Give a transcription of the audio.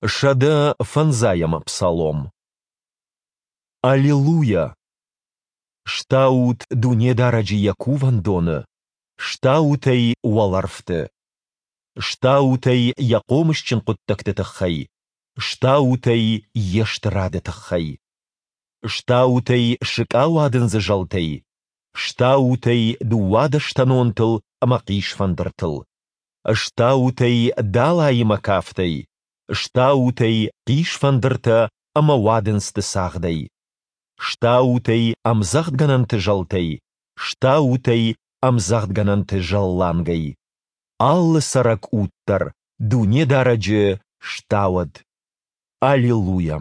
105-ӕм псалом. Аллилуйа! Стаут Дунедарӕджы Йӕ Кувӕндоны, стаут Ӕй уӕлӕрвты! Стаут Ӕй Йӕ хъомысджын хъуыддӕгты тыххӕй, стаут Ӕй Йе стырады тыххӕй! Стаут Ӕй сыкъауадындзы зӕлтӕй, стаут Ӕй дыууадӕстӕнонтыл ӕмӕ хъисфӕндыртыл! Стаут Ӕй далаимӕ кафтӕй, стаут Ӕй хъисфӕндыртӕ ӕмӕ уадындзты цагъдӕй! Стаут Ӕй ӕмдзӕгъдгӕнӕнты зӕлтӕй, стаут Ӕй ӕмдзӕгъдгӕнӕнты зӕллангӕй! Алы цӕрӕг уд дӕр Дунедарӕджы стауӕд! Аллилуйа!